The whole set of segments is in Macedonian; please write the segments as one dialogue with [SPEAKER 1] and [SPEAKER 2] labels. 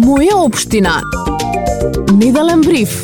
[SPEAKER 1] Моја општина. Неделен бриф.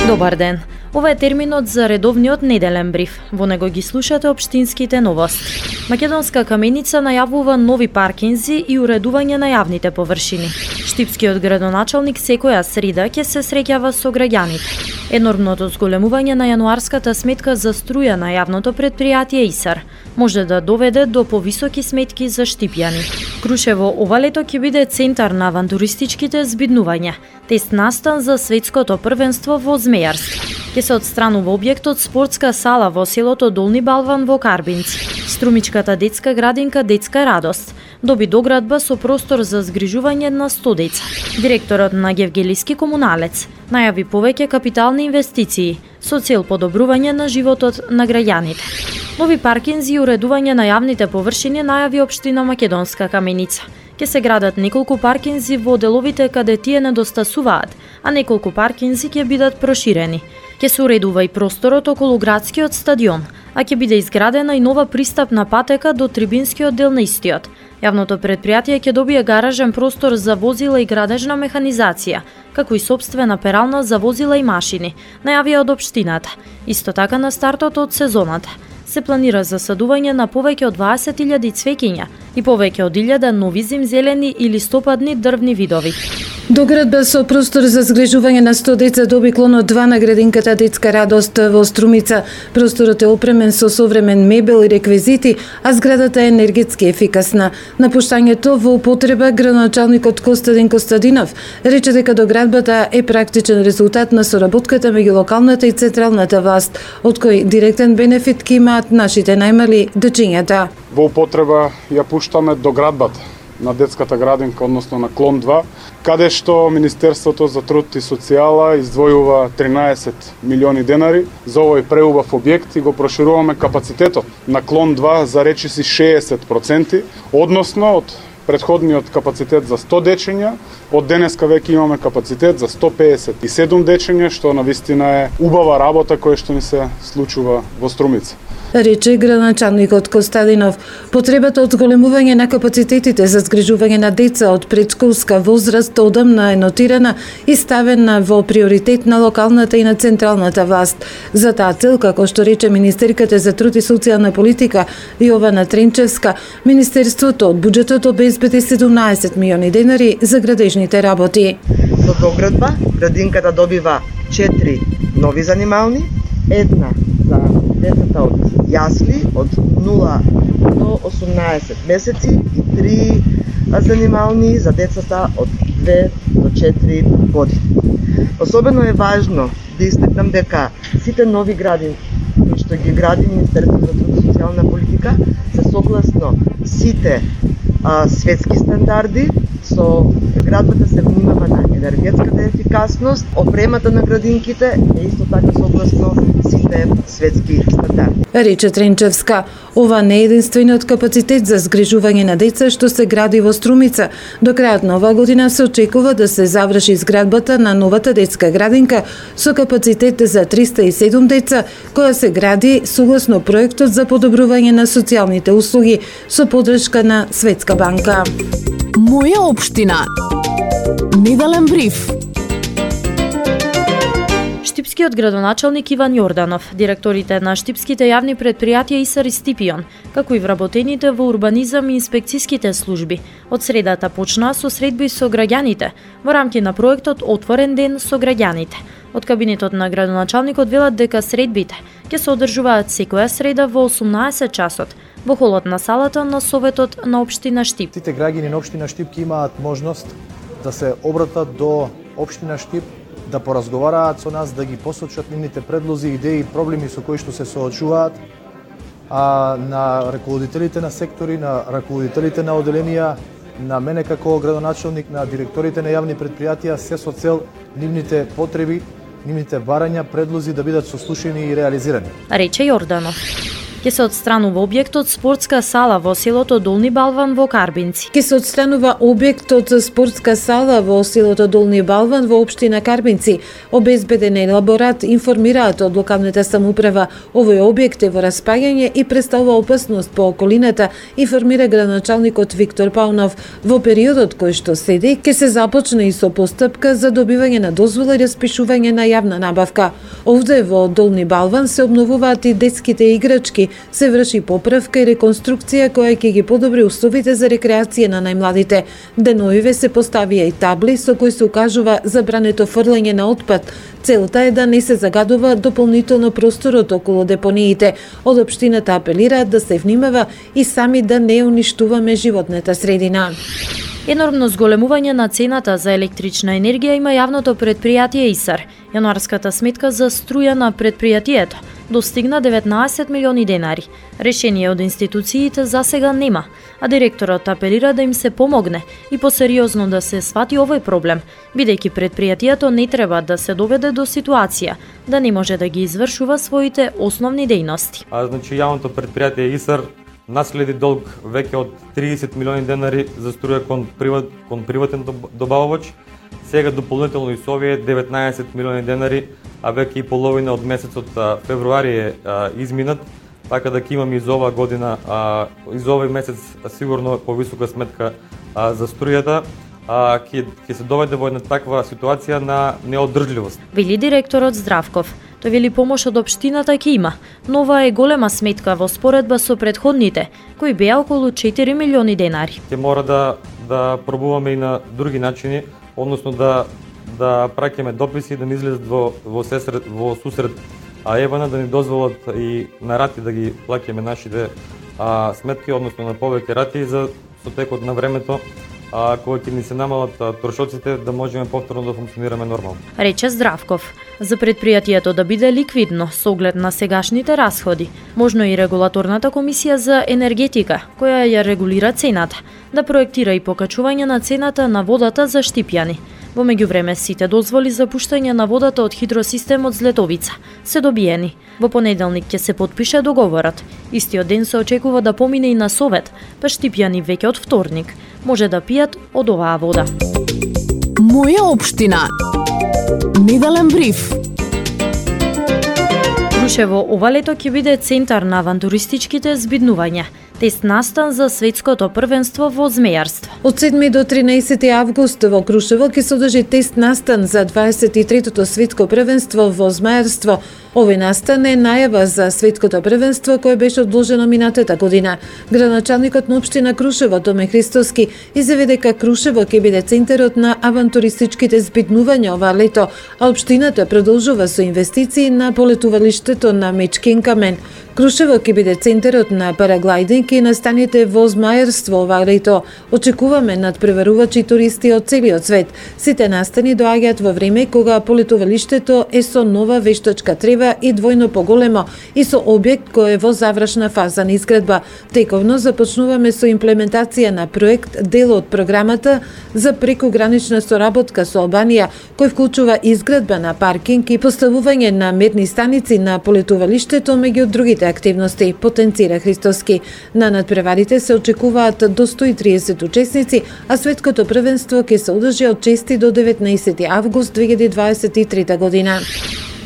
[SPEAKER 2] Добар ден. Ова е терминот за редовниот неделен бриф. Во него ги слушате општинските новости. Македонска каменица најавува нови паркинзи и уредување на јавните површини. Штипскиот градоначалник секоја среда ќе се среќава со граѓаните. Енормното зголемување на јануарската сметка за струја на јавното претпријатие ИСАР може да доведе до повисоки сметки за штипјани. Крушево ова лето ќе биде центар на авантуристичките збиднувања. Тест настан за светското првенство во змејарство. Ќе се отстранува објектот спортска сала во селото Долни Балван во Карбинци. Струмичката детска градинка Детска радост доби доградба со простор за згрижување на 100 деца. Директорот на Гевгелиски комуналец најави повеќе капитални инвестиции со цел подобрување на животот на граѓаните. Нови паркинзи и уредување на јавните површини најави општина Македонска каменица. Ќе се градат неколку паркинзи во деловите каде тие недостасуваат, а неколку паркинзи ќе бидат проширени. Ќе се уредува и просторот околу градскиот стадион, а ќе биде изградена и нова пристапна патека до трибинскиот дел на истиот. Јавното претпријатие ќе добие гаражен простор за возила и градежна механизација, како и сопствена перална за возила и машини, најавија од општината. Исто така на стартот од сезоната се планира засадување на повеќе од 20.000 цвеќиња и повеќе од 1000 нови зимзелени и листопадни дрвни видови.
[SPEAKER 3] Доградба со простор за згрижување на 100 деца доби клонот 2 на градинката Детска радост во Струмица. Просторот е опремен со современ мебел и реквизити, а зградата е енергетски ефикасна. Напуштањето во употреба градоначалникот Костадин Костадинов рече дека доградбата е практичен резултат на соработката меѓу локалната и централната власт, од кој директен бенефит ќе имаат нашите најмали дечињата.
[SPEAKER 4] Во употреба ја пуштаме доградбата на детската градинка, односно на клон 2, каде што Министерството за труд и социјала издвојува 13 милиони денари за овој преубав објект и го прошируваме капацитетот на клон 2 за речиси 60%, односно од предходниот капацитет за 100 дечиња, од денеска веќе имаме капацитет за 157 дечиња, што навистина е убава работа која што ни се случува во Струмица.
[SPEAKER 3] Рече градоначалникот Костадинов. Потребата од зголемување на капацитетите за згрижување на деца од предшколска возраст одамна е нотирана и ставена во приоритет на локалната и на централната власт. За таа цел, како што рече министерката за труд и социјална политика Јована Тренчевска, Министерството од буџетот обезбеди 17 милиони денари за градежните работи.
[SPEAKER 5] Со доградба, градинката добива 4 нови занимални, една за децата од јасли од 0 до 18 месеци и 3 занимални за децата од 2 до 4 години. Особено е важно да истакнам дека сите нови градинки кои што ги гради Министерството за труд и социјална политика се согласно сите светски стандарди. Со градбата се внимава на енергетската ефикасност, опремата на градинките е исто така согласно сите светски стандарди.
[SPEAKER 3] Рече Тренчевска, ова не е единствениот капацитет за згрижување на деца што се гради во Струмица. До крајот на оваа година се очекува да се заврши изградбата на новата детска градинка со капацитет за 307 деца, која се гради согласно проектот за подобрување на социјалните услуги со поддршка на Светска банка.
[SPEAKER 1] Моја општина. Неделен бриф.
[SPEAKER 2] Штипскиот градоначалник Иван Јорданов, директорите на штипските јавни претпријатија ИСАР и Стипион, како и вработените во урбанизам и инспекцијските служби, од средата почнаа со средби со граѓаните во рамки на проектот Отворен ден со граѓаните. Од кабинетот на градоначалникот велат дека средбите ќе се одржуваат секоја среда во 18 часот во холот на салата на Советот на општина Штип.
[SPEAKER 6] Сите граѓани на општина Штип ќе имаат можност да се обратат до општина Штип, да поразговараат со нас, да ги посочат нивните предлози, идеи и проблеми со кои што се соочуваат, а на раководителите на сектори, на раководителите на оделенија, на мене како градоначалник, на директорите на јавни претпријатија, се со цел нивните потреби, нивните барања, предлози да бидат сослушани и реализирани.
[SPEAKER 2] Рече Јорданов. Ке се отстранува објектот спортска сала во селото Долни Балван во Карбинци.
[SPEAKER 3] Ке се отстранува објектот спортска сала во селото Долни Балван во општина Карбинци. Обезбеден елаборат информираат од локалната самоуправа. Овој објект е во распаѓање и представува опасност по околината, информира градоначалникот Виктор Паунов. Во периодот кој што следи, ке се започне и со постапка за добивање на дозвола и распишување на јавна набавка. Овде во Долни Балван се обновуваат и детските играчки, се врши поправка и реконструкција која ќе ги подобри условите за рекреација на најмладите. Деновиве се поставија и табли со кои се укажува забрането фрлање на отпад. Целта е да не се загадува дополнително просторот околу депониите. Од општината апелираат да се внимава и сами да не уништуваме животната средина.
[SPEAKER 2] Енормно зголемување на цената за електрична енергија има јавното предпријатие ИСАР. Јануарската сметка за струја на предпријатието достигна 19 милиони денари. Решение од институциите за сега нема, а директорот апелира да им се помогне и посериозно да се свати овој проблем, бидејќи предпријатието не треба да се доведе до ситуација да не може да ги извршува своите основни дејности.
[SPEAKER 7] Значи јавното предпријатие ИСАР наследи долг веќе од 30 милиони денари за струја кон приватен добавувач. Сега дополнително и со овие 19 милиони денари, а веќе и половина од месецот февруари е изминат, така да ќе имаме и за оваа година, и за овој месец сигурно повисока сметка за струјата. Ќе се доведе во една таква ситуација на неодржливост.
[SPEAKER 2] Вели директорот Здравков. Тој вели помош од општината ќе има, но ова е голема сметка во споредба со претходните, кои беа околу 4 милиони денари.
[SPEAKER 7] Ќе мора да пробуваме и на други начини, односно да праќаме дописи, да ни излезат во сусрет ЕВН, да ни дозволат и на рати да ги плаќаме нашите сметки, односно на повеќе рати за со текот на времето, кога ќе ни се намалат трошоците, да можеме повторно да функционираме нормално.
[SPEAKER 2] Рече Здравков. За предпријатието да биде ликвидно со оглед на сегашните расходи, можно и регулаторната комисија за енергетика, која ја регулира цената, да проектира и покачување на цената на водата за Штипјани. Во меѓувреме сите дозволи за пуштање на водата од хидросистемот Злетовица се добиени. Во понеделник ќе се потпише договорот. Истиот ден се очекува да помине и на Совет, па Штипјани веќе од вторник може да пијат од оваа вода.
[SPEAKER 1] Моја општина. Неделен бриф.
[SPEAKER 2] Крушево ова лето ќе биде центар на авантуристичките збиднувања. Тест настан за светското првенство во змејарство.
[SPEAKER 3] Од 7 до 13 август во Крушево ќе се одржи тест настан за 23-тото светско првенство во змејарство. Овој настан е најава за светското првенство кое беше одложено минатата година. Градоначалникот на општина Крушево Томе Христоски изјави дека Крушево ќе биде центарот на авантуристичките збиднувања ова лето, а општината продолжува со инвестиции на полетувалиштето на Мечкин камен. Крушево ќе биде центарот на параглайдинг и настаните во змајарство ова лето. Очекуваме надпреварувачи туристи од целиот свет. Сите настани доаѓаат во време кога полетувалиштето е со нова вештачка трева и двојно поголемо и со објект кој е во завршна фаза на изградба. Тековно започнуваме со имплементација на проект, дел од програмата за прекогранична соработка со Албанија, кој вклучува изградба на паркинг и поставување на мерни станици на полетувалиштето меѓу другите активности, потенцира Христоски. На надпреварите се очекуваат до 130 учесници, а светското првенство ќе се одржи од 6 до 19 август 2023 година.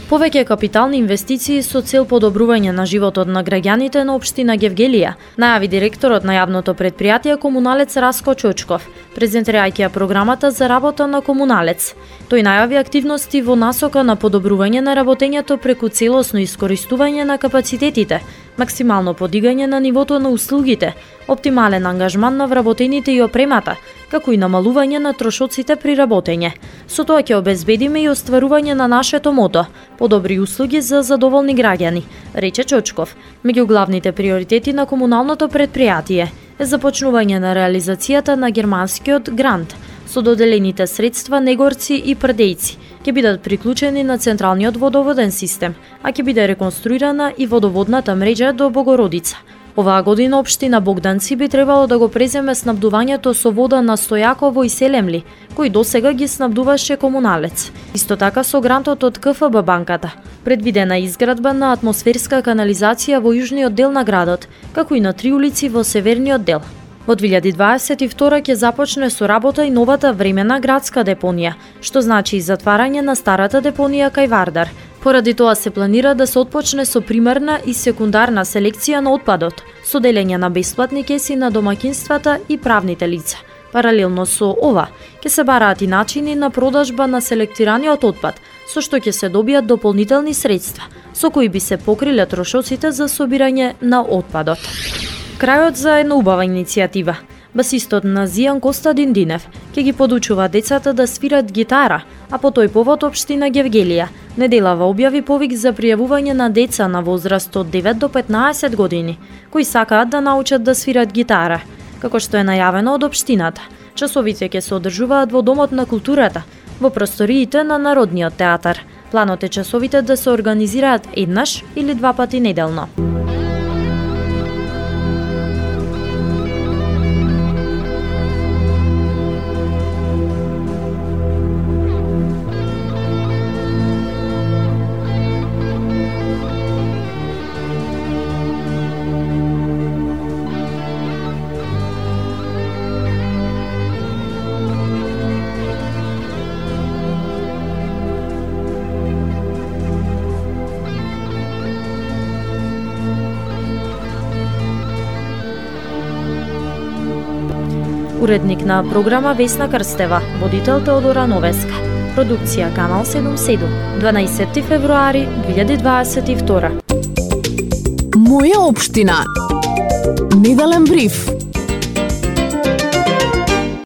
[SPEAKER 2] Повеќе капитални инвестиции со цел подобрување на животот на граѓаните на општина Гевгелија, најави директорот на јавното предпријатие Комуналец Раско Чочков, презентирајќи ја програмата за работа на Комуналец. Тој најави активности во насока на подобрување на работењето преку целосно искористување на капацитетите, максимално подигање на нивото на услугите, оптимален ангажман на вработените и опремата, како и намалување на трошоците при работење. Со тоа ќе обезбедиме и остварување на нашето мото – подобри услуги за задоволни граѓани, рече Чочков. Меѓу главните приоритети на комуналното предпријатие е започнување на реализацијата на германскиот грант, со доделените средства Негорци и Прдејци ќе бидат приклучени на централниот водоводен систем, а ќе биде реконструирана и водоводната мрежа до Богородица. Оваа година општина Богданци би требало да го преземе снабдувањето со вода на Стојаково и Селемли, кој досега ги снабдуваше Комуналец. Исто така со грантот од КФБ банката. Предвидена изградба на атмосферска канализација во јужниот дел на градот, како и на 3 улици во северниот дел. Во 2022 ќе започне со работа и новата времена градска депонија, што значи и затварање на старата депонија кај Вардар. Поради тоа се планира да се отпочне со примарна и секундарна селекција на отпадот, со делење на бесплатни кеси на домаќинствата и правните лица. Паралелно со ова, ќе се бараат и начини на продажба на селектираниот отпад, со што ќе се добијат дополнителни средства, со кои би се покриле трошоците за собирање на отпадот. Крајот за една убава иницијатива. Басистот на Зијан Коста Диндинев ќе ги подучува децата да свират гитара, а по тој повод општина Гевгелија неделава објави повик за пријавување на деца на возраст од 9 до 15 години, кои сакаат да научат да свират гитара. Како што е најавено од општината, часовите ќе се одржуваат во Домот на културата, во просториите на Народниот театар. Планот е часовите да се организираат еднаш или 2 пати неделно. Уредник на програма Весна Крстева, водител Теодора Новеска. Продукција Канал 77, 12 февруари 2022.
[SPEAKER 1] Моја општина. Неделен бриф.